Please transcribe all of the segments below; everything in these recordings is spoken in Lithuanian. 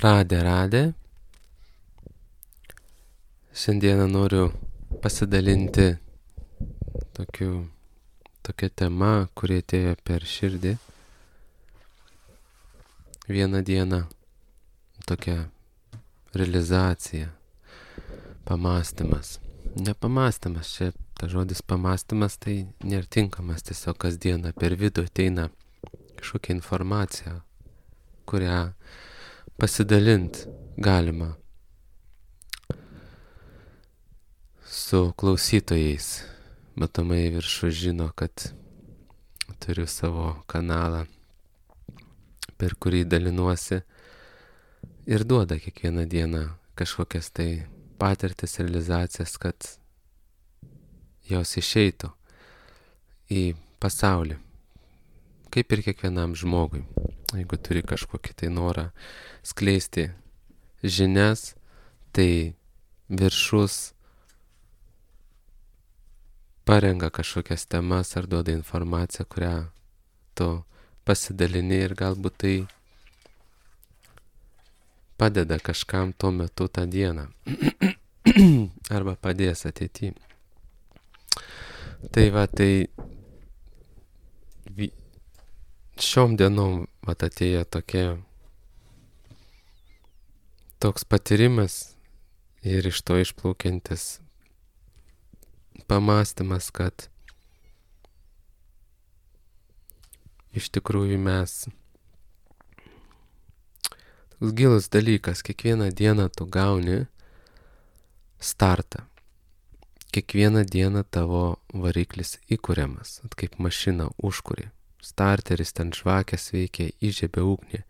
Radė. Šiandieną noriu pasidalinti tokia tema, kuri atėjo per širdį. Vieną dieną tokia realizacija, pamąstymas. Ne pamąstymas, čia ta žodis pamąstymas tai nėra tinkamas, tiesiog kasdieną per vidų ateina kažkokia informacija, kurią pasidalint galima su klausytojais. Matomai viršų žino, kad turiu savo kanalą, per kurį dalinuosi ir duoda kiekvieną dieną kažkokias tai patirtis, realizacijas, kad jos išeitų į pasaulį, kaip ir kiekvienam žmogui. Jeigu turi kažkokį tai norą skleisti žinias, tai viršus parenga kažkokias temas ar duoda informaciją, kurią tu pasidalini ir galbūt tai padeda kažkam tuo metu tą dieną arba padės ateityje. Tai šiom dienom atėjo toks patyrimas ir iš to išplaukiantis pamąstymas, kad iš tikrųjų mes toks gilus dalykas, kiekvieną dieną tu gauni startą. Kiekvieną dieną tavo variklis įkuriamas, kaip mašina užkuri. Starteris ten žvakės veikia, įžiebia ugnį.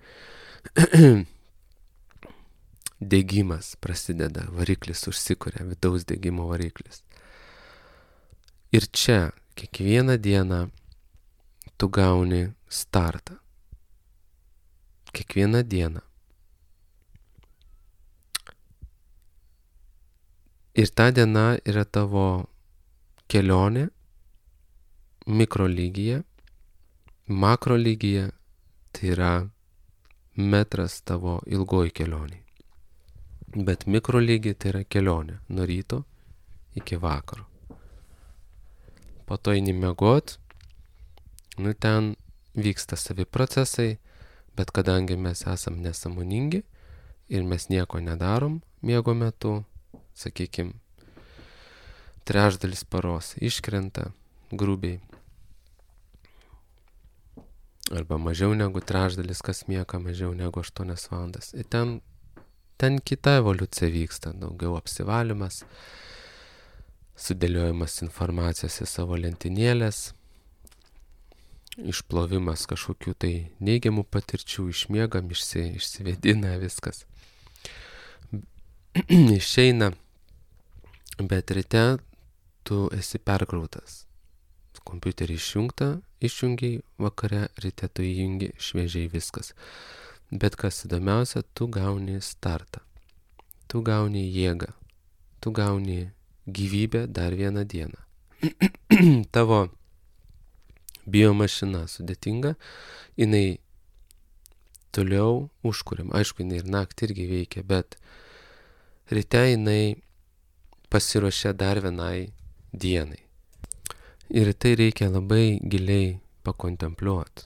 Degimas prasideda, variklis užsikuria, vidaus degimo variklis. Ir čia kiekvieną dieną tu gauni startą. Kiekvieną dieną. Ir ta diena yra tavo kelionė mikrolygyje, makrolygyje tai yra metras tavo ilgoji kelionė. Bet mikrolygyje tai yra kelionė nuo ryto iki vakaro. Po to eini miegot, ten vyksta savi procesai, bet kadangi mes esam nesąmoningi ir mes nieko nedarom miego metu, sakykime, trečdalis paros iškrenta grubiai. Arba mažiau negu trečdalis, kas miega mažiau negu 8 valandas. Ir ten kita evoliucija vyksta, daugiau apsivalymas, sudėliojimas informacijos į savo lentynėlės, išplovimas kažkokių tai neigiamų patirčių, išmiegam, išsivedina viskas. Išeina, bet ryte tu esi perkrautas. Kompiuterį išjungiai, vakare ryte tu įjungi, šviežiai viskas. Bet kas įdomiausia, tu gauni startą. Tu gauni jėgą. Tu gauni gyvybę dar vieną dieną. Tavo biomašina sudėtinga, jinai toliau užkuriam. Aišku, jinai ir naktį irgi veikia, bet ryte jinai pasiruošia dar vienai dienai. Ir tai reikia labai giliai pakontempliuoti.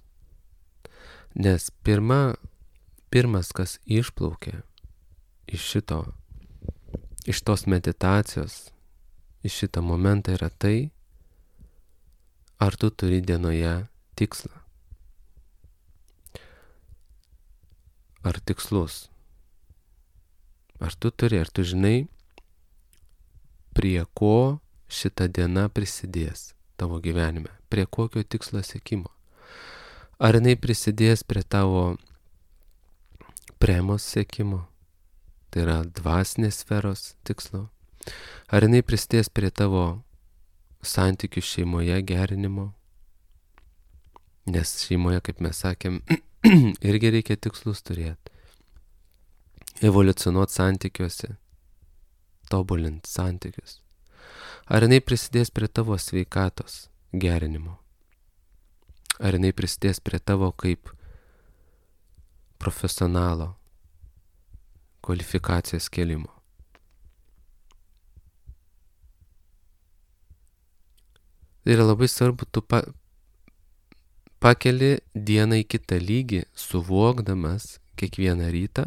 Nes pirmas, kas išplaukia iš tos meditacijos, iš šito momentą yra tai, ar tu turi dienoje tikslą. Ar tikslus. Ar tu žinai, prie ko šita diena prisidės tavo gyvenime, prie kokio tikslo siekimo. Ar jinai prisidės prie tavo premos siekimo, tai yra dvasinės sferos tikslo. Ar jinai prisidės prie tavo santykių šeimoje gerinimo, nes šeimoje, kaip mes sakėm, irgi reikia tikslus turėti. Evoliucionuoti santykiuose, tobulinti santykius. Ar jinai prisidės prie tavo sveikatos gerinimo? Ar jinai prisidės prie tavo kaip profesionalo kvalifikacijos kėlimo. Tai yra labai svarbu, tu pakeli dieną į kitą lygį, suvokdamas kiekvieną rytą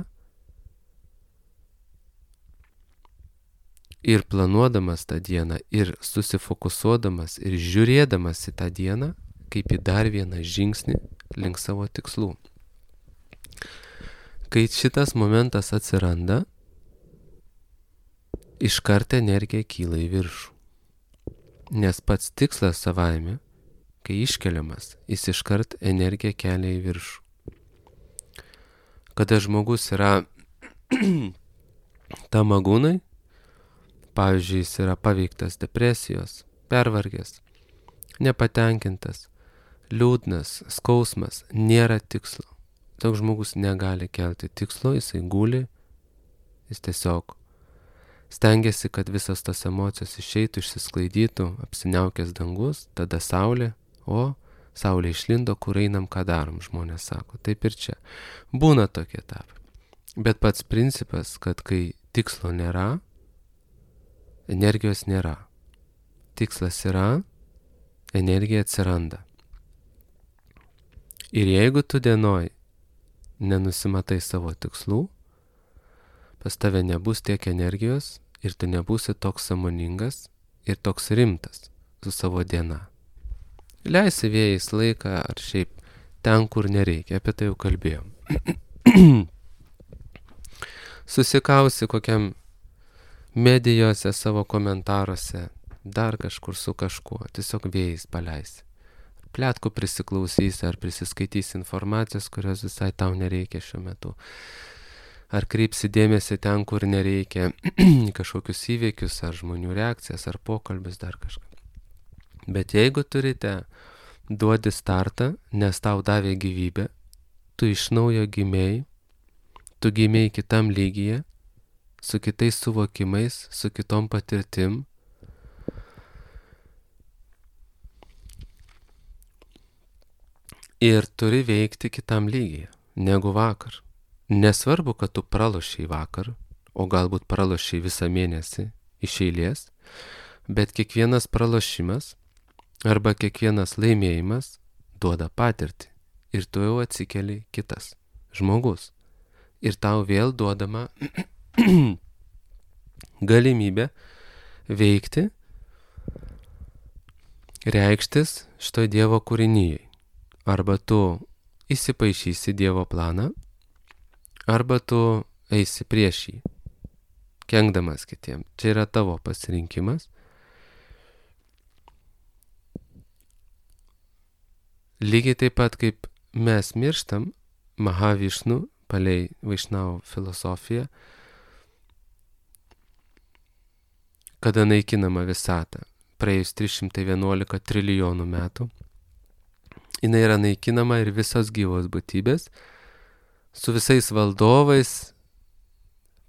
ir planuodamas tą dieną, ir susifokusuodamas, ir žiūrėdamas į tą dieną, kaip į dar vieną žingsnį link savo tikslų. Kai šitas momentas atsiranda, iškart energija kyla į viršų. Nes pats tikslas savaime, kai iškeliamas, jis iškart energiją kelia į viršų. Kada žmogus yra tamagūnai, pavyzdžiui, jis yra paveiktas depresijos, pervargęs, nepatenkintas, liūdnas, skausmas, nėra tikslo. Toks žmogus negali kelti tikslo, jisai guli, jis tiesiog stengiasi, kad visas tos emocijos išeitų, išsisklaidytų, apsiniaukęs dangus, tada saulė, o saulė išlindo, kur einam, ką darom, žmonės sako. Taip ir čia. Būna tokie etapai. Bet pats principas, kad kai tikslo nėra, energijos nėra. Tikslas yra, energija atsiranda. Ir jeigu tu dienoj nenusimatai savo tikslų, pas tave nebus tiek energijos ir tu nebūsi toks sąmoningas ir toks rimtas su savo diena. Leisi vėjais laiką ar šiaip ten, kur nereikia, apie tai jau kalbėjom. Susikausi kokiam medijose, savo komentaruose, dar kažkur su kažkuo, tiesiog vėjais paleisi. Pletkų prisiklausysi ar prisiskaitysi informacijos, kurios visai tau nereikia šiuo metu. Ar kreipsi dėmesį ten, kur nereikia, kažkokius įvykius, ar žmonių reakcijas, ar pokalbis, dar kažką. Bet jeigu turite, duodi startą, nes tau davė gyvybę, tu iš naujo gimėjai, tu gimėjai kitam lygyje, su kitais suvokimais, su kitom patirtim. Ir turi veikti kitam lygyje, negu vakar. Nesvarbu, kad tu pralošiai vakar, o galbūt pralošiai visą mėnesį iš eilės, bet kiekvienas pralošimas arba kiekvienas laimėjimas duoda patirtį. Ir tu jau atsikeli kitas žmogus. Ir tau vėl duodama galimybė veikti, reikštis šitoj Dievo kūrinyje. Arba tu įsipaišysi Dievo planą, arba tu eisi prieš jį, kenkdamas kitiem. Čia yra tavo pasirinkimas. Lygiai taip pat kaip mes mirštam, Mahavišnu, palei Vaišnavo filosofiją, kada naikinama visata, praėjus 311 trilijonų metų, jinai yra naikinama ir visos gyvos būtybės, su visais valdovais,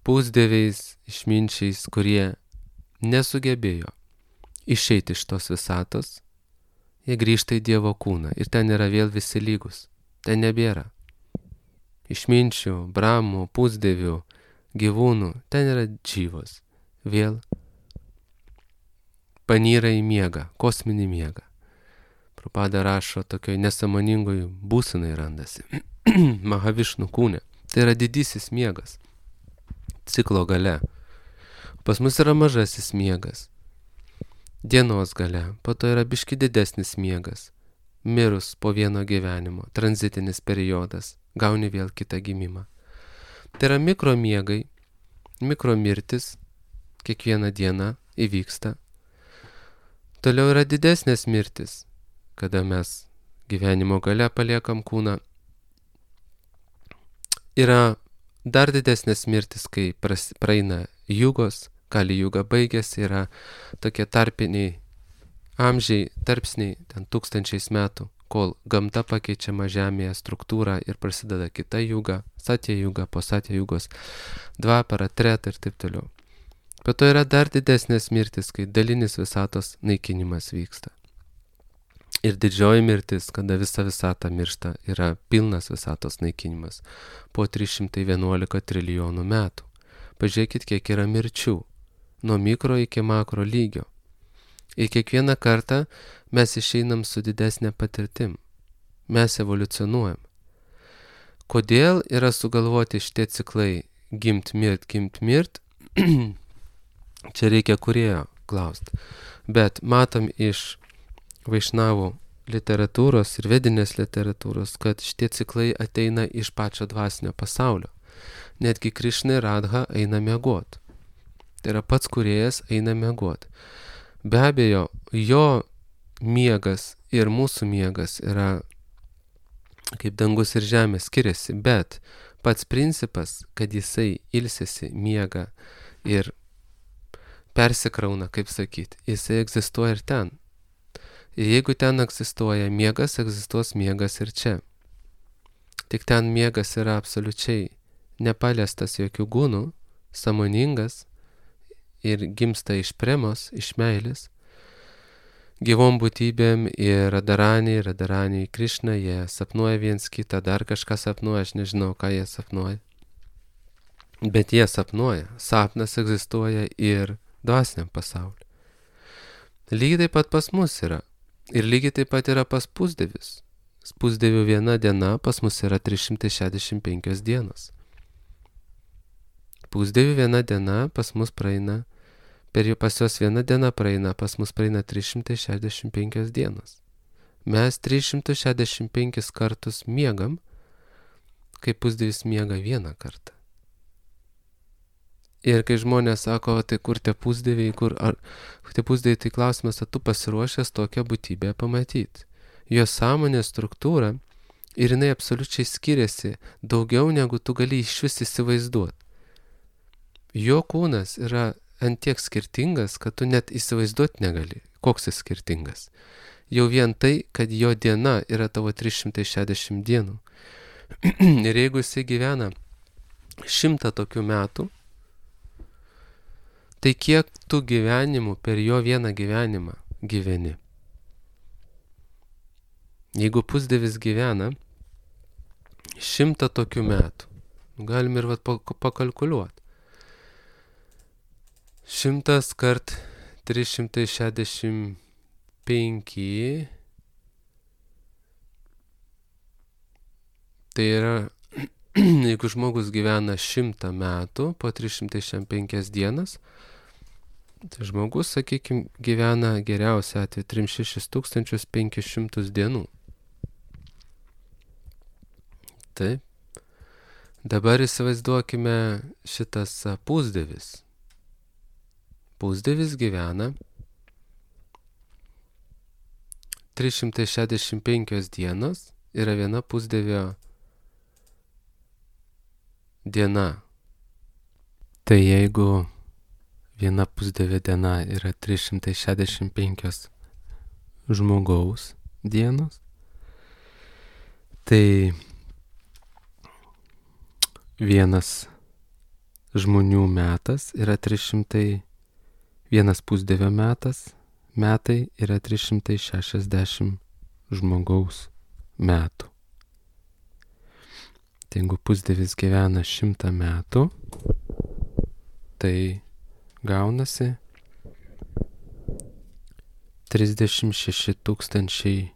pusdieviais, išminčiais, kurie nesugebėjo išeiti iš tos visatos, jie grįžta į Dievo kūną ir ten yra vėl visi lygus. Ten nebėra išminčių, bramų, pusdievių, gyvūnų, ten yra džyvos. Vėl panyra į miegą, kosminį miegą. Prabhupada rašo tokioj nesąmoningoj būsenai randasi. Mahavišnu kūne. Tai yra didysis miegas. Ciklo gale. Pas mus yra mažasis miegas. Dienos gale. Po to yra biški didesnis miegas. Mirus po vieno gyvenimo. Tranzitinis periodas. Gauni vėl kitą gimimą. Tai yra mikromiegai. Mikromirtis. Kiekvieną dieną įvyksta. Toliau yra didesnės mirtis. Kada mes gyvenimo gale paliekam kūną. Yra dar didesnės mirtis, kai praeina jugos, kali juga baigėsi, yra tokie tarpiniai amžiai, tarpsniai, ten tūkstančiais metų, kol gamta pakeičiama žemėje struktūrą ir prasideda kita juga, satya juga, po satya jugos, dvapara, treta ir taip toliau. Po to yra dar didesnės mirtis, kai dalinis visatos naikinimas vyksta. Ir didžioji mirtis, kada visa visata miršta, yra pilnas visatos naikinimas po 311 trilijonų metų. Pažiūrėkit, kiek yra mirčių. Nuo mikro iki makro lygio. Ir kiekvieną kartą mes išeinam su didesnė patirtim. Mes evoliucionuojam. Kodėl yra sugalvoti šitie ciklai gimt, mirt? Čia reikia kūrėjo klausti. Bet matom iš vaišnavų literatūros ir vedinės literatūros, kad šitie ciklai ateina iš pačio dvasinio pasaulio. Netgi Krišna ir Radha eina miegot. Tai yra pats kūrėjas eina miegot. Be abejo, jo miegas ir mūsų miegas yra kaip dangus ir žemė skiriasi, bet pats principas, kad jisai ilsisi, miega ir persikrauna, kaip sakyti, jisai egzistuoja ir ten. Ir jeigu ten egzistuoja miegas, egzistuos miegas ir čia. Tik ten miegas yra absoliučiai nepaliestas jokių gūnų, sąmoningas ir gimsta iš premos, iš meilės. Gyvom būtybėm ir Radarani Krišna, jie sapnuoja viens kitą, dar kažką sapnuoja, aš nežinau, ką jie sapnuoja. Bet jie sapnuoja, sapnas egzistuoja ir dvasiniam pasauliu. Lygiai taip pat pas mus yra. Ir lygiai taip pat yra pas pusdievius. Pusdievių viena diena pas mus yra 365 dienos. Pusdievių viena diena pas mus praeina, pas jos viena diena praeina, pas mus praeina 365 dienos. Mes 365 kartus miegam, kai pusdievis miega vieną kartą. Ir kai žmonės sako, tai kur tie pusdieviai, tai klausimas, ar tu pasiruošęs tokią būtybę pamatyti. Jos sąmonės struktūra ir jinai absoliučiai skiriasi daugiau, negu tu gali išvis įsivaizduoti. Jo kūnas yra ant tiek skirtingas, kad tu net įsivaizduoti negali, koks jis skirtingas. Jau vien tai, kad jo diena yra tavo 360 dienų. Ir jeigu jisai gyvena 100 tokių metų, tai kiek tu gyvenimų per jo vieną gyvenimą gyveni? Jeigu pusdievis gyvena 100 tokių metų, galim ir pakalkuliuoti. 100 kart 365, tai yra, jeigu žmogus gyvena 100 metų po 365 dienas, tai žmogus, sakykime, gyvena geriausia atveju 36 500 dienų. Taip. Dabar įsivaizduokime šitas pusdievis. Pusdievis gyvena 365 dienos, yra viena pusdievio diena. Tai jeigu viena pusdievio diena yra 365 žmogaus dienos, tai vienas žmonių metas yra 300, vienas pusdievio metai yra 360 žmogaus metų. Tai jeigu pusdievis gyvena 100 metų, tai gaunasi 36 000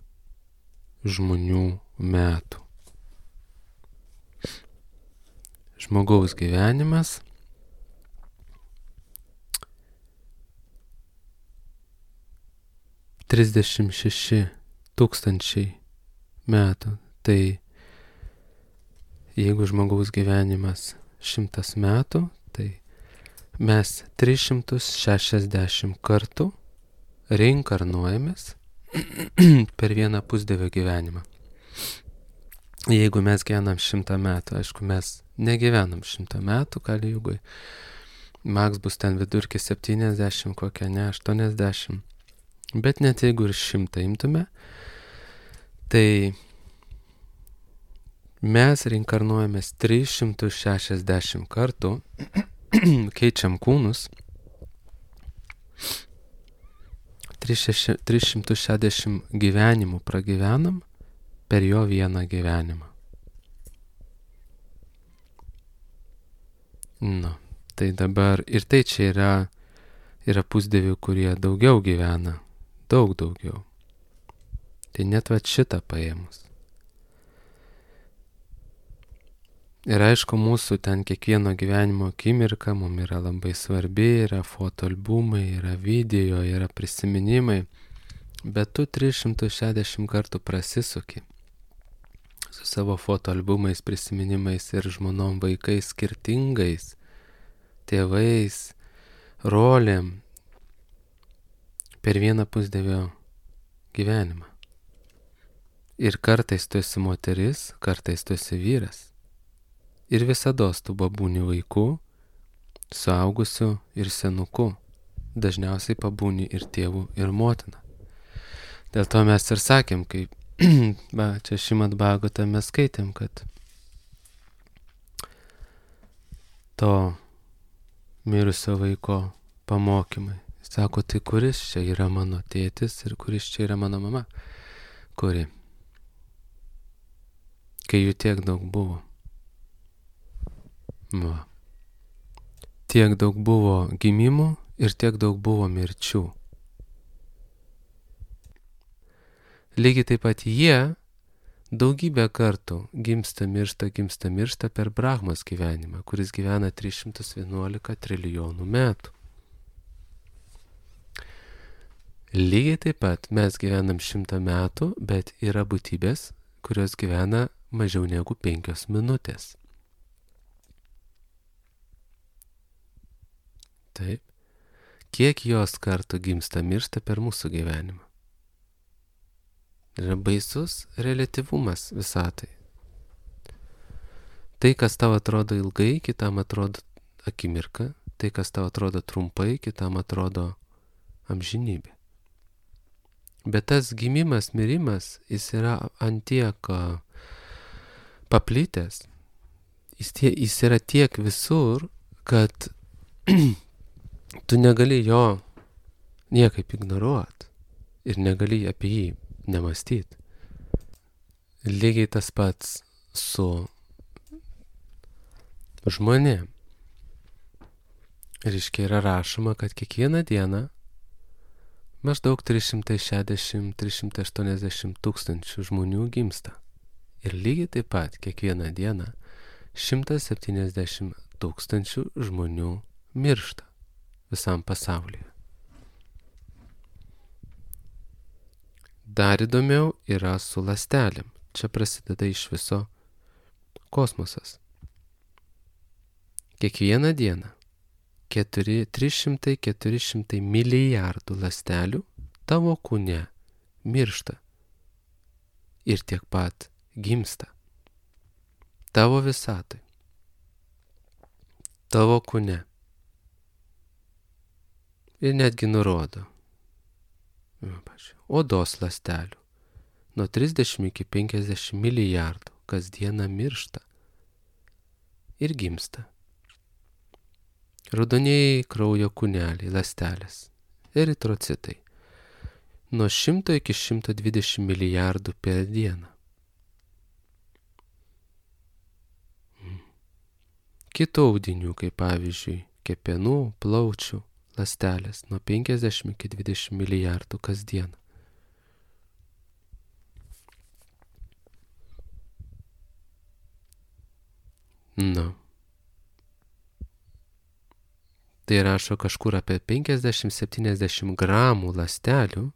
žmonių metų. Žmogaus gyvenimas – 36 000 metų. Tai jeigu žmogaus gyvenimas 100 metų, tai mes 360 kartų reinkarnuojamės per vieną pusdievio gyvenimą. Jeigu mes gyvenam 100 metų, aišku, mes negyvenam 100 metų Kali Jugoj. Maks bus ten vidurkis 70, kokia ne 80. Bet net jeigu ir 100 imtume, tai mes reinkarnuojamės 360 kartų, keičiam kūnus, 360 gyvenimų pragyvenam per jo vieną gyvenimą. Nu, Tai dabar ir tai čia yra pusdievių, kurie daugiau gyvena, daug daugiau. Tai net va šitą paėmus. Ir aišku, mūsų ten kiekvieno gyvenimo akimirka mums yra labai svarbi, yra fotoalbumai, yra video, yra prisiminimai, bet tu 360 kartų prasisuki su savo fotoalbumais, prisiminimais ir žmonom, vaikais skirtingais, tėvais, rolėm per vieną pusdievio gyvenimą. Ir kartais tu esi moteris, kartais tu esi vyras. Ir visados tu pabūni vaiku, suaugusiu ir senuku. Dažniausiai pabūni ir tėvu, ir motina. Dėl to mes ir sakėm, kai čia Šrimad Bhagavate mes skaitėm, kad to mirusio vaiko pamokymai. Sako, tai kuris čia yra mano tėtis ir kuris čia yra mano mama? Kuri? Kai jų tiek daug buvo. Va. Tiek daug buvo gimimų ir tiek daug buvo mirčių. Lygiai taip pat jie daugybę kartų gimsta miršta per Brahmos gyvenimą, kuris gyvena 311 trilijonų metų. Lygiai taip pat mes gyvenam 100 metų, bet yra būtybės, kurios gyvena mažiau negu 5 minutės. Taip. Kiek jos kartų gimsta miršta per mūsų gyvenimą? Yra baisus relativumas visatai. Tai, kas tau atrodo ilgai, kitam atrodo akimirka. Tai, kas tau atrodo trumpai, kitam atrodo amžinybė. Bet tas gimimas, mirimas, jis yra antiek paplitęs. Jis yra tiek visur, kad tu negali jo niekaip ignoruoti ir negali apie jį nemąstyti. Lygiai tas pats su žmonėm. Reiškia, yra rašoma, kad kiekvieną dieną maždaug 360-380 tūkstančių žmonių gimsta. Ir lygiai taip pat kiekvieną dieną 170 tūkstančių žmonių miršta visam pasaulyje. Dar įdomiau yra su ląstelėm. Čia prasideda iš viso kosmosas. Kiekvieną dieną 300-400 milijardų ląstelių tavo kūne miršta ir tiek pat gimsta. Tavo visatai, tavo kūne. Ir netgi nurodo odos ląstelių nuo 30 iki 50 milijardų kasdieną miršta ir gimsta. Raudonieji kraujo kūneliai, ląstelės, eritrocitai nuo 100 iki 120 milijardų per dieną. Kitų audinių, kaip pavyzdžiui, kepenų, plaučių ląstelės nuo 50 iki 20 milijardų kasdieną. Tai rašo kažkur apie 50-70 gramų ląstelių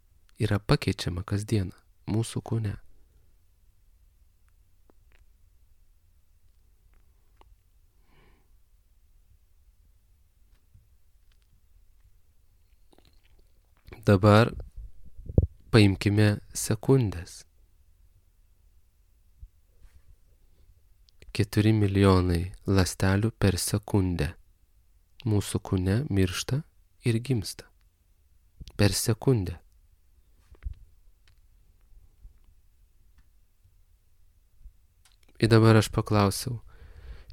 yra pakeičiama kasdieną mūsų kūne. Dabar paimkime sekundės. 4 milijonai ląstelių per sekundę mūsų kūne miršta ir gimsta. Per sekundę. Ir dabar aš paklausiau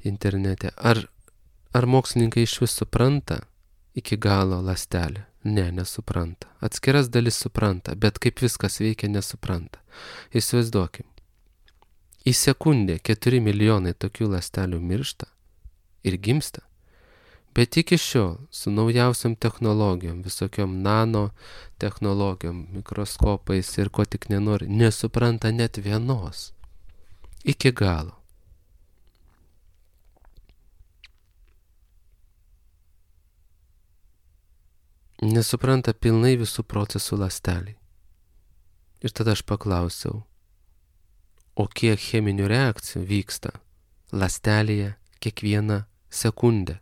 internete, ar mokslininkai iš vis supranta iki galo ląstelę? Ne, nesupranta. Atskiras dalis supranta, bet kaip viskas veikia, nesupranta. Įsivaizduokim. Į sekundę 4 milijonai tokių ląstelių miršta ir gimsta, Bet iki šiol su naujausiam technologijom, visokiom nano technologijom, mikroskopais ir ko tik nenori, nesupranta net vienos. Iki galo. Nesupranta pilnai visų procesų ląsteliai. Ir tada aš paklausiau, o kiek cheminių reakcijų vyksta ląstelėje kiekvieną sekundę?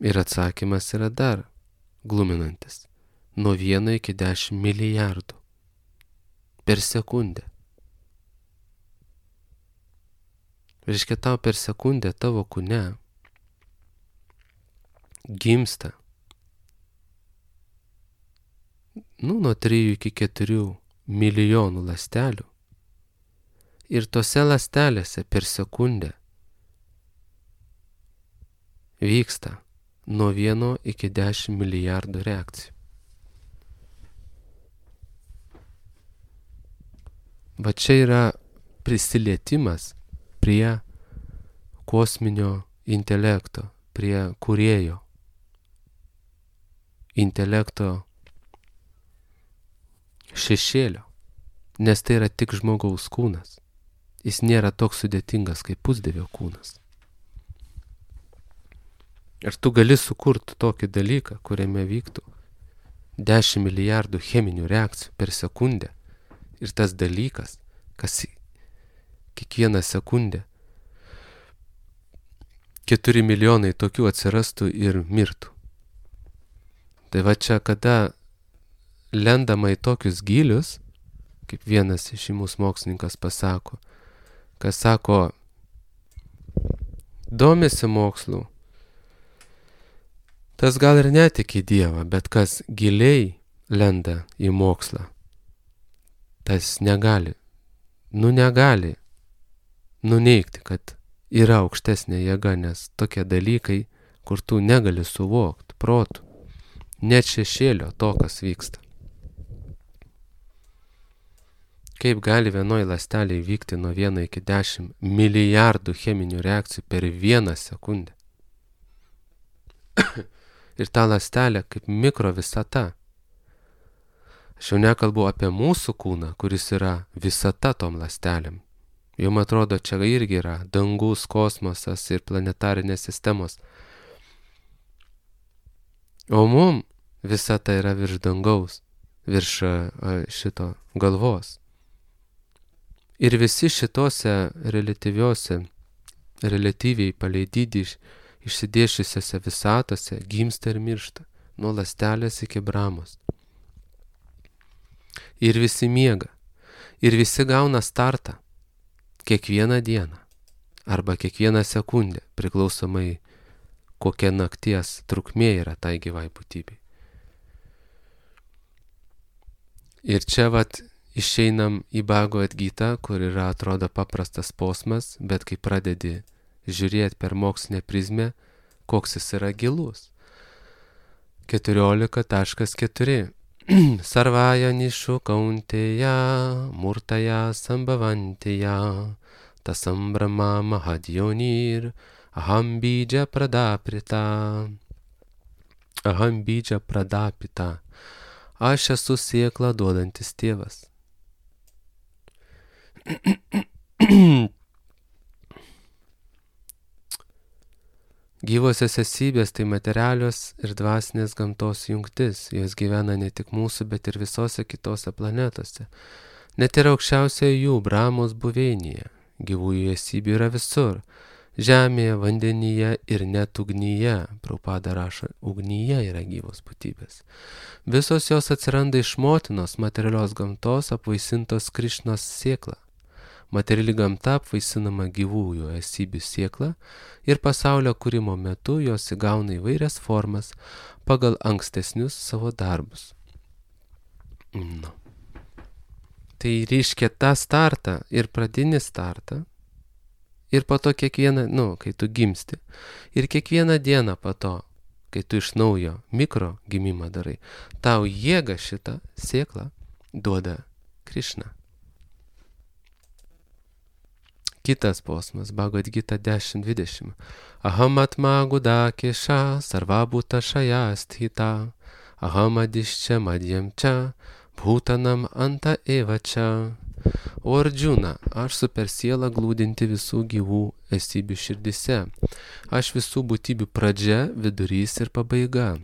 Ir atsakymas yra dar gluminantis. Nuo 1 iki 10 milijardų per sekundę. Reiškia, tau per sekundę tavo kūne gimsta nuo 3 iki 4 milijonų ląstelių. Ir tose ląstelėse per sekundę vyksta nuo 1 iki 10 milijardų reakcijų. Va čia yra prisilietimas prie kosminio intelekto, prie kūrėjo intelekto šešėlio, nes tai yra tik žmogaus kūnas. Jis nėra toks sudėtingas kaip pusdievio kūnas. Ir tu gali sukurti tokį dalyką, kuriame vyktų 10 milijardų cheminių reakcijų per sekundę. Ir tas dalykas, kas kiekvieną sekundę 4 milijonai tokių atsirastų ir mirtų. Tai va čia, kada lendama į tokius gilius, kaip vienas iš mūsų mokslininkas pasako, kas sako, domisi mokslu, tas gal ir netiki Dievą, bet kas giliai lenda į mokslą, tas negali nuneigti, kad yra aukštesnė jėga, nes tokie dalykai, kur tu negali suvokti protu, net šešėlio to, kas vyksta. Kaip gali vienoj ląstelėje vykti nuo 1 iki 10 milijardų cheminių reakcijų per 1 sekundę? Ir ta ląstelė kaip mikro visata. Aš jau nekalbu apie mūsų kūną, kuris yra visata tom ląstelėm. Jums atrodo, čia irgi yra dangus, kosmosas ir planetarinės sistemos. O mum visata yra virš dangaus, virš šito galvos. Ir visi šitose relatyviai palei dydį išsidėšiusiose visatose gimsta ir miršta, nuo ląstelės iki bramos. Ir visi miega, ir visi gauna startą kiekvieną dieną, arba kiekvieną sekundę, priklausomai kokia nakties trukmė yra tai gyvai būtybei. Ir čia išeinam į Bhagavad Gitą, kur yra atrodo paprastas posmas, bet kai pradedi žiūrėti per mokslinę prizmę, koks jis yra gilus. 14.4 Sarvaya nishu kaunteya murtaya sambhavanteya tasam brahma mahadionir aham bija pradapita. Aš esu sėklą duodantis tėvas. Gyvosios esybės tai materialios ir dvasinės gamtos jungtis. Jos gyvena ne tik mūsų, bet ir visose kitose planetose. Net ir aukščiausioje jų Brahmos buveinėje. Gyvųjų esybių yra visur. Žemėje, vandenyje ir net ugnyje. Prabhupada rašo, ugnyje yra gyvos būtybės. Visos jos atsiranda iš motinos materialios gamtos apvaisintos Krišnos sėkla. Materiali gamta apvaisinama gyvųjų esybių sėkla ir pasaulio kūrimo metu jos įgauna įvairias formas pagal ankstesnius savo darbus. Tai reiškia tą startą ir pradinį startą ir po to kiekvieną, kai tu gimsti ir kiekvieną dieną po to, kai tu iš naujo mikro gimimą darai, tau jėga šitą sėklą duoda Krišna. Kitas posmas, Bhagavad Gita 10.20. Aham atma gudakesha sarvabhuta shayasthita. Aham adishcha madhyam cha bhutanam anta eva cha. O Arjuna, aš super siela glūdinti visų gyvų esybių širdise. Aš visų būtybių pradžia, vidurys ir pabaiga.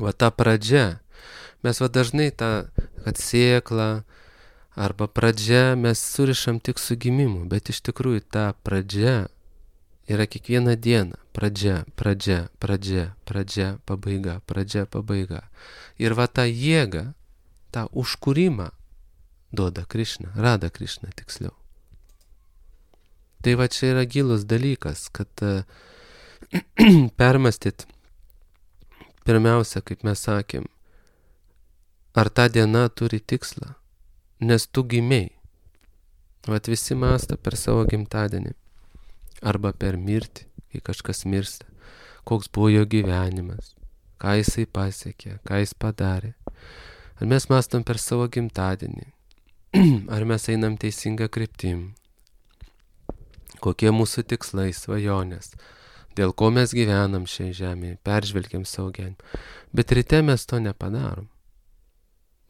Va ta pradžia, mes va dažnai tą, kad sėkla arba pradžia mes surišam tik su gimimu, bet iš tikrųjų ta pradžia yra kiekvieną dieną. Pradžia, pradžia, pradžia, pradžia, pabaiga, pradžia, pabaiga. Ir va tą jėgą, tą užkūrimą duoda Krišna, Rada Krišna tiksliau. Tai va čia yra gilus dalykas, kad permąstyt pirmiausia, kaip mes sakėm, ar ta diena turi tikslą, nes tu gimei. Vat visi mąsto per savo gimtadienį arba per mirtį, kai kažkas mirsta, koks buvo jo gyvenimas, ką jisai pasiekė, ką jis padarė. Ar mes mąstom per savo gimtadienį, ar mes einam teisingą kryptim, kokie mūsų tikslai, svajonės, dėl ko mes gyvenam šiai žemėje, peržvelgiam savo gyvenimą. Bet ryte mes to nepadarom.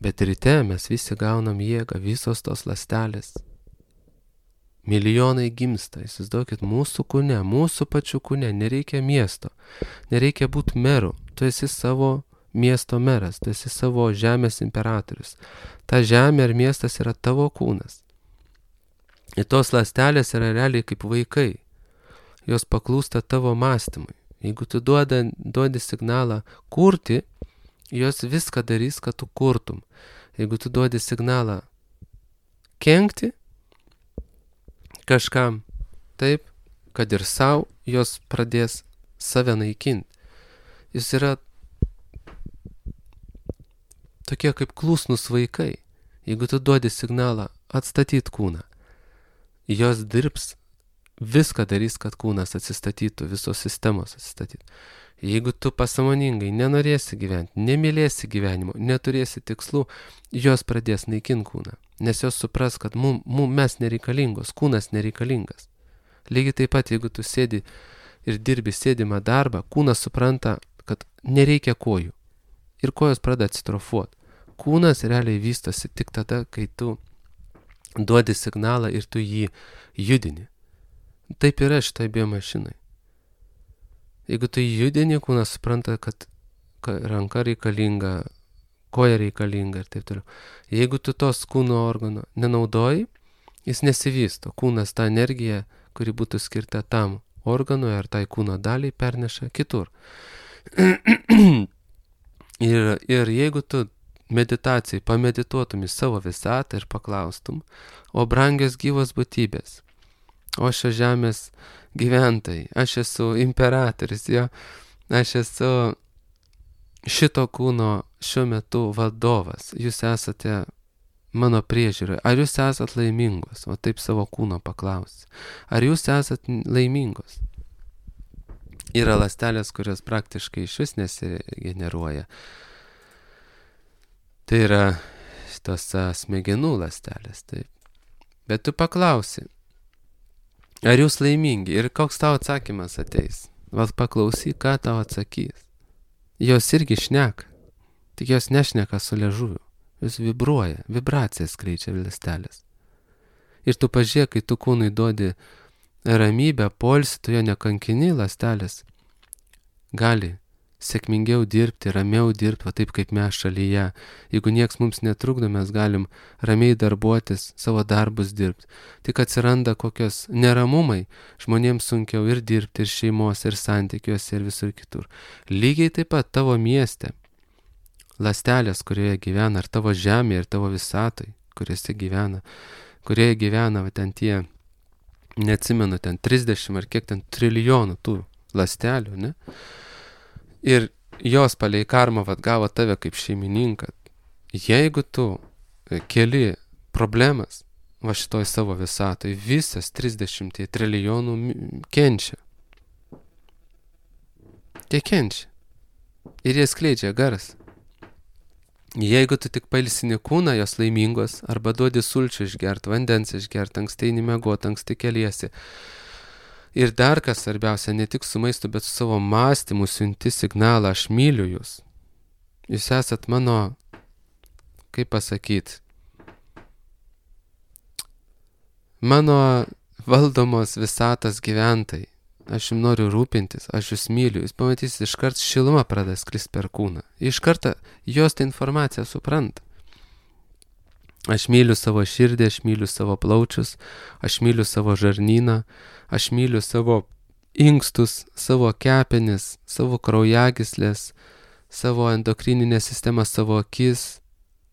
Bet ryte mes visi gaunam jėgą, visos tos ląstelės. Milijonai gimsta, įsivaizduokit, mūsų kūne, mūsų pačių kūne, nereikia miesto, nereikia būti meru, tu esi savo miesto meras, tu esi savo žemės imperatorius. Ta žemė ar miestas yra tavo kūnas. Ir tos ląstelės yra realiai kaip vaikai. Jos paklūsta tavo mąstymui. Jeigu tu duodi signalą kurti, jos viską darys, kad tu kurtum. Jeigu tu duodi signalą kenkti kažkam, taip, kad ir sau, jos pradės save naikinti. Jis yra tokie kaip klusnus vaikai. Jeigu tu duodi signalą atstatyt kūną, jos dirbs, viską darys, kad kūnas atsistatytų, visos sistemos atsistatytų. Jeigu tu pasąmoningai nenorėsi gyventi, nemylėsi gyvenimo, neturėsi tikslų, jos pradės naikinti kūną. Nes jos supras, kad mes nereikalingos, kūnas nereikalingas. Lygiai taip pat, jeigu tu sėdi ir dirbi sėdimą darbą, kūnas supranta, kad nereikia kojų. Ir kojos pradeda atsitrofuoti. Kūnas realiai vystosi tik tada, kai tu duodi signalą ir tu jį judini. Taip yra šitai biomašinai. Jeigu tu judini, kūnas supranta, kad ranka reikalinga, koja reikalinga ir taip toliau. Jeigu tu tos kūno organo nenaudoji, jis nesivysto. Kūnas tą energiją, kuri būtų skirta tam organui ar tai kūno daliai, perneša kitur. Ir jeigu tu meditacijai pamedituotum į savo visatą ir paklaustum, o brangios gyvos būtybės, o šios žemės gyventojai, aš esu imperatorius, jo, aš esu šito kūno šiuo metu vadovas, jūs esate mano priežiūroje, ar jūs esat laimingos, o taip savo kūno paklausi, ar jūs esat laimingos? Yra ląstelės, kurios praktiškai iš vis nesigeneruoja. Tai yra šitos smegenų ląstelės, taip. Bet tu paklausi, ar jūs laimingi ir koks tavo atsakymas ateis? Vat paklausyk, ką tau atsakys. Jos irgi šneka, tik jos nešneka su liežuviu. Jos vibruoja, vibracijas skleidžia ląstelės. Ir tu pažiūrėk, kai tu kūnui duodi ramybę, poilsį, tu jo nekankini, ląstelės gali sėkmingiau dirbti, ramiau dirbti, va taip kaip mes šalyje. Jeigu nieks mums netrukdo, mes galim ramiai darbuotis, savo darbus dirbti. Tik atsiranda kokios neramumai, žmonėms sunkiau ir dirbti, ir šeimos, ir santykiuose, ir visur kitur. Lygiai taip pat tavo mieste, ląstelės, kurioje gyvena, ar tavo žemėje, ir tavo visatoj, kurioje gyvena, va ten tie, neatsimenu, ten 30 ar kiek ten trilijonų tų ląstelių, ne? Ir jos palei karmą gavo tave kaip šeimininką. Jeigu tu keli problemas va šitoj savo visatoj, visas 30 trilijonų kenčia. Tie kenčia. Ir jie skleidžia garsą. Jeigu tu tik pailsini kūną, jos laimingos, arba duodi sulčių išgert, vandens išgert, anksti eini miegot, anksti keliesi. Ir dar kas svarbiausia, ne tik su maistu, bet su savo mąstymu siunti signalą, aš myliu jūs. Jūs esat mano, kaip pasakyti, mano valdomos visatos gyventojai. Aš jums noriu rūpintis, aš jūs myliu. Jūs pamatysit, iškart šiluma pradeda skristi per kūną. Iš karto jos tą informaciją supranta. Aš myliu savo širdį, aš myliu savo plaučius, aš myliu savo žarnyną, aš myliu savo inkstus, savo kepenis, savo kraujagyslės, savo endokrininę sistemą, savo akis,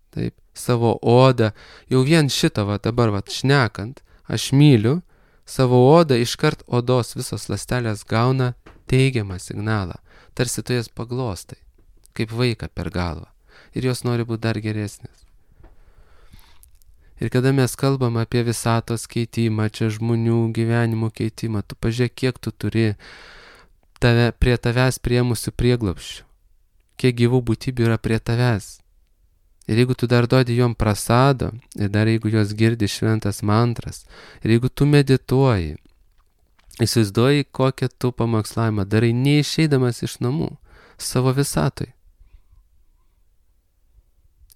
taip, savo odą. Jau vien šitą dabar šnekant, aš myliu savo odą, iškart odos visos ląstelės gauna teigiamą signalą, tarsi tu jas paglostai, kaip vaiką per galvą, ir jos nori būti dar geresnės. Ir kada mes kalbam apie visatos keitimą, čia žmonių gyvenimo keitimą, tu pažiūrėk, kiek tu turi prie tavęs priemusių prieglobsčių, kiek gyvų būtybių yra prie tavęs. Ir jeigu tu dar duodi jom prasado, ir dar jeigu jos girdi šventas mantras, ir jeigu tu medituoji, įsivaizduoji, kokią tu pamokslavimą darai neišeidamas iš namų, savo visatoj.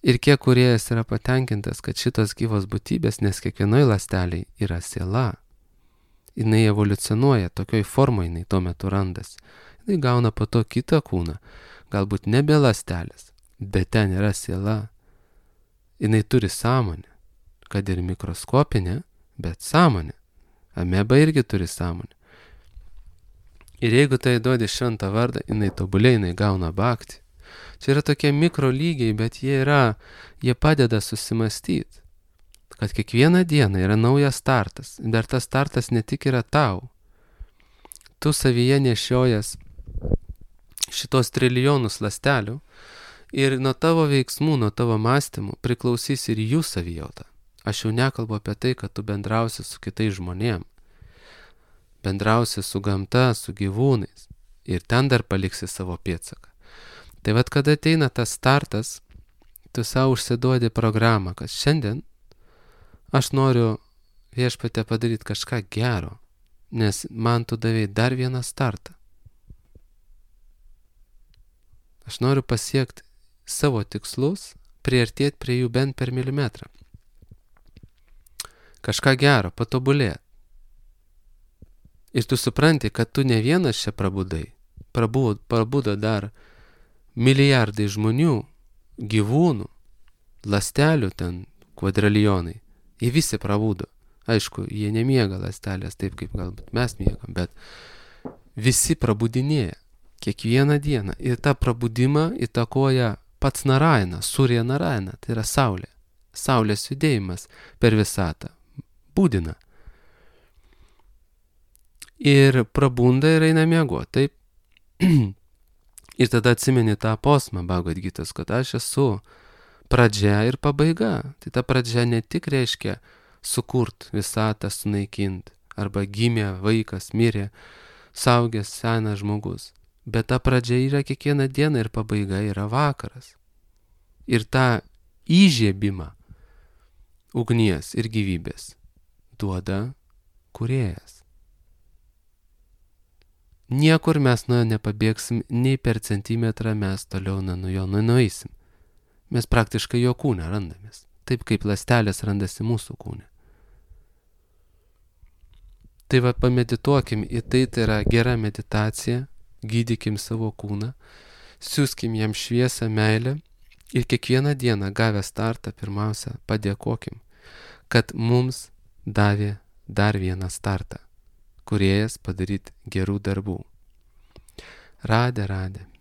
Ir kiek kūrėjas yra patenkintas, kad šitos gyvos būtybės, nes kiekvienoj ląstelėj yra siela, jinai evoliucionuoja, tokioj formoj jinai tuo metu randasi. Jinai gauna po to kitą kūną, galbūt nebe ląstelės, bet ten yra siela. Jinai turi sąmonę, kad ir mikroskopinę, bet sąmonę. Ameba irgi turi sąmonę. Ir jeigu tai duodi šventą vardą, jinai tobulė, jinai gauna bhaktį. Čia yra tokie mikro lygiai, bet jie padeda susimastyti, kad kiekvieną dieną yra naujas startas. Dar tas startas ne tik yra tau. Tu savyje nešiojas šitos trilijonus ląstelių, ir nuo tavo veiksmų, nuo tavo mąstymų priklausys ir jų savijauta. Aš jau nekalbu apie tai, kad tu bendrausi su kitais žmonėm. Bendrausi su gamta, su gyvūnais. Ir ten dar paliksi savo pėdsaką. Tai kada ateina tas startas, tu savo užsiduodi programą, kad šiandien aš noriu Viešpatie padaryti kažką gero, nes man tu davei dar vieną startą. Aš noriu pasiekti savo tikslus, priartėti prie jų bent per milimetrą. Kažką gero, patobulėti. Ir tu supranti, kad tu ne vienas čia prabudai. Prabudo dar milijardai žmonių, gyvūnų, ląstelių ten kvadrilijonai. Jie visi prabudo. Aišku, jie nemiega ląstelės taip, kaip galbūt mes miegam, bet visi prabudinėja kiekvieną dieną. Ir tą prabudimą įtakoja pats Narayana, Surya Narayana, tai yra saulė. Saulės judėjimas per visatą. Būdina. Ir prabunda ir eina miego, taip. Ir tada atsimeni tą posmą Bhagavad Gitos, kad aš esu pradžia ir pabaiga. Tai ta pradžia ne tik reiškia sukurt visatą, sunaikint, arba gimė vaikas, mirė, saugęs senas žmogus. Bet ta pradžia yra kiekvieną dieną ir pabaiga yra vakaras. Ir tą įžiebimą ugnies ir gyvybės duoda kūrėjas. Niekur mes nuo jo nepabėgsim, nei per centimetrą mes toliau nuo jo nueisim. Mes praktiškai jo kūne randamės, taip kaip ląstelės randasi mūsų kūne. Tai pamedituokim į tai, tai yra gera meditacija, gydykim savo kūną, siūskim jam šviesą, meilę ir kiekvieną dieną gavę startą pirmiausia padėkokim, kad mums davė dar vieną startą, kūrėjas padaryti gerų darbų. Radė.